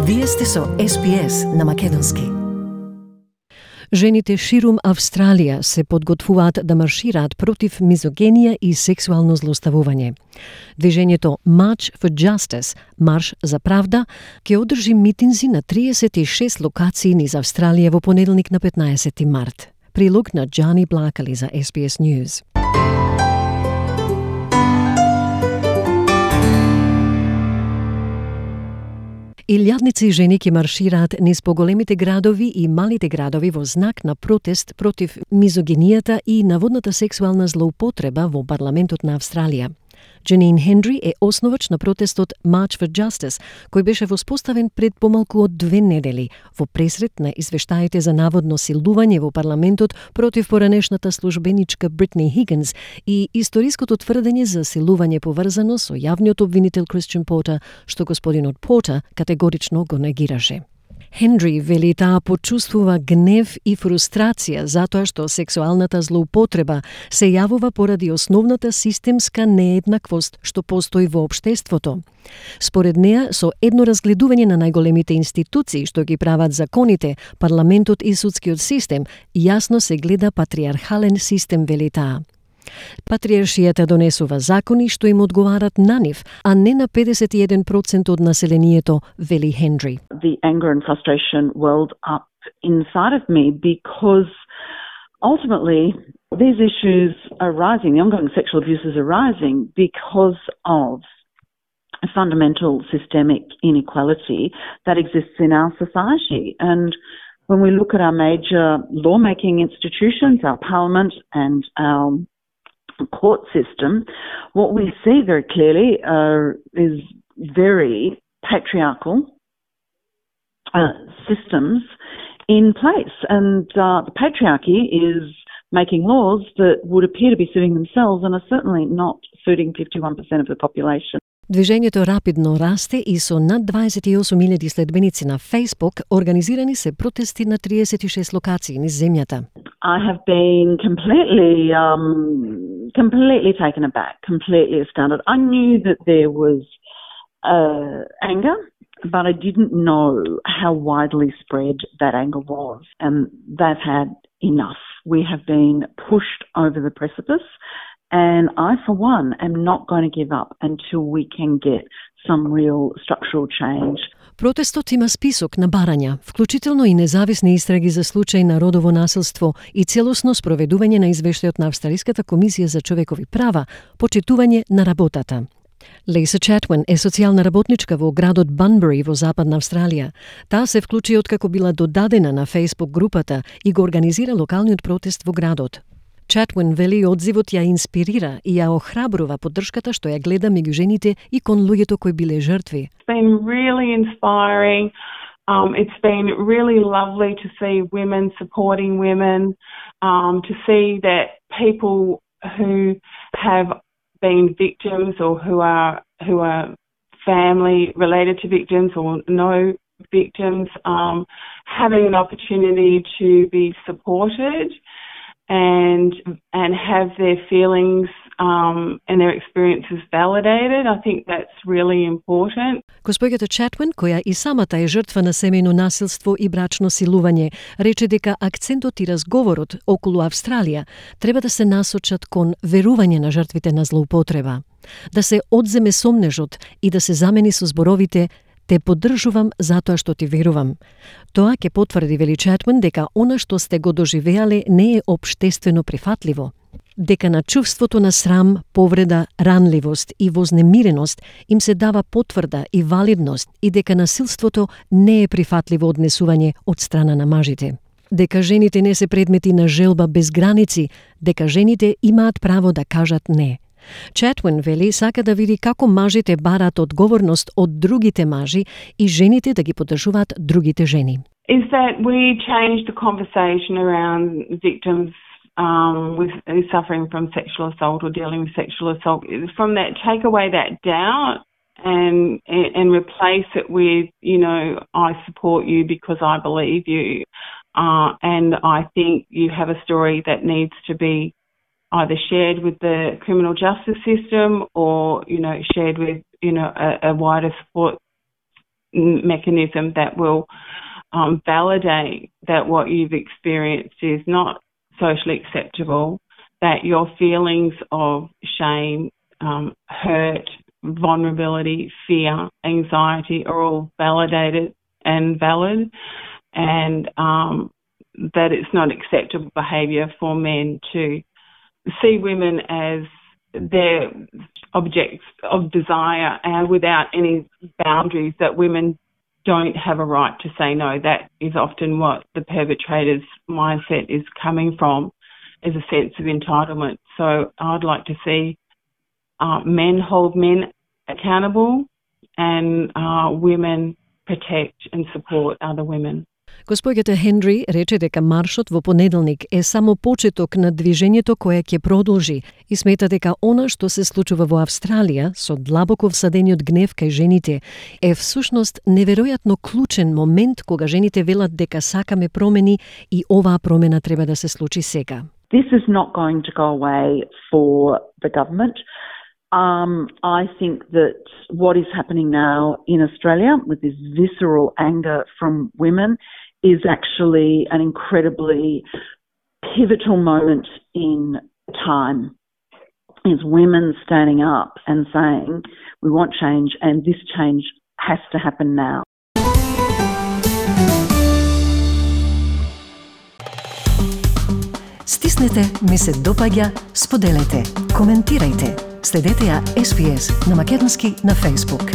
Вие сте со SPS на македонски. Жените ширум Австралија се подготвуваат да маршираат против мизогенија и сексуално злоставување. Движењето March for Justice, Марш за правда, ќе одржи митинзи на 36 локации низ Австралија во понеделник на 15 март. Прилог на Джани Блакали за SBS News. Илјадници жени ќе маршираат низ поголемите градови и малите градови во знак на протест против мизогенијата и наводната сексуална злоупотреба во парламентот на Австралија. Janine Hendry е основач на протестот March for Justice, кој беше воспоставен пред помалку од 2 недели во пресрет на извештаите за наводно силување во парламентот против поранешната службеничка Бритни Хигинс и историското тврдење за силување поврзано со јавниот обвинител Christian Porter, што господинот Порта категорично го негираше. Хендри вели таа почувствува гнев и фрустрација затоа што сексуалната злоупотреба се јавува поради основната системска нееднаквост што постои во општеството. Според неа, со едно разгледување на најголемите институции што ги прават законите, парламентот и судскиот систем, јасно се гледа патриархален систем, вели таа. Патриаршијата донесува закони што им одговарат на нив, а не на 51% од населението, вели Хендри. The anger and frustration welled up inside of me because ultimately these issues are rising, the ongoing sexual abuses are rising because of a fundamental systemic inequality that exists in our society. And when we look at our major lawmaking institutions, our parliament and our court system, what we see very clearly is very patriarchal systems in place. And the patriarchy is making laws that would appear to be suiting themselves and are certainly not suiting 51% of the population. Движењето рапидно расте и со над 28.000 следбеници на Facebook организирани се протести на 36 локации низ земјата. I have been completely taken aback, completely astounded. I knew that there was anger, but I didn't know how widely spread that anger was. And they've had enough. We have been pushed over the precipice. And I, for one, am not going to give up until we can get some real structural change. Протестот има список на барања, вклучително и независни истраги за случај на родово насилство и целосно спроведување на извештајот на Австралиската комисија за човекови права, почитување на работата. Лейса Чатвин е социјална работничка во градот Bunbury во Западна Австралија. Таа се вклучи откако била додадена на Facebook групата и го организира локалниот протест во градот. Чатвин вели одзивот ја инспирира и ја охрабрува поддршката што ја гледа меѓу жените и кон луѓето кои биле жртви. It's been really inspiring. It's been really lovely to see women supporting women, to see that people who have been victims or who are family related to victims or know victims, having an opportunity to be supported and have their feelings and their experiences validated. I think that's really important. Госпоѓата Чатвин, која и самата е жртва на семејно насилство и брачно силување, рече дека акцентот и разговорот околу Австралија треба да се насочат кон верување на жртвите на злоупотреба, да се одземе сомнежот и да се замени со зборовите "Те поддржувам затоа што ти верувам". Тоа ќе потврди, вели Чатвин, дека она што сте го доживеале не е општествено прифатливо, дека на чувството на срам, повреда, ранливост и вознемиреност им се дава потврда и валидност и дека насилството не е прифатливо однесување од страна на мажите. Дека жените не се предмети на желба без граници, дека жените имаат право да кажат не. Чатвин вели сака да види како мажите бараат одговорност од другите мажи и жените да ги поддржуваат другите жени. Is that we change the conversation around victims with suffering from sexual assault or dealing with sexual assault. From that, take away that doubt and replace it with, I support you because I believe you. And I think you have a story that needs to be either shared with the criminal justice system or, shared with, a wider support mechanism that will validate that what you've experienced is not socially acceptable, that your feelings of shame, hurt, vulnerability, fear, anxiety are all validated and valid, and that it's not acceptable behaviour for men to see women as their objects of desire and without any boundaries, that women don't have a right to say no. That is often what the perpetrator's mindset is coming from, is a sense of entitlement. So I'd like to see men hold men accountable and women protect and support other women. Госпоѓата Хендри рече дека маршот во понеделник е само почеток на движењето кое ќе продолжи и смета дека она што се случува во Австралија со длабоко всадениот гнев кај жените е всушност неверојатно клучен момент кога жените велат дека сакаме промени и оваа промена треба да се случи сега. This is not going to go away for the government. I think that what is happening now in Australia with this visceral anger from women is actually an incredibly pivotal moment in time. Is women standing up and saying, we want change and this change has to happen now. Стиснете, ми се допаѓа, споделете, коментирајте. Следете ја SPS на македонски на Facebook.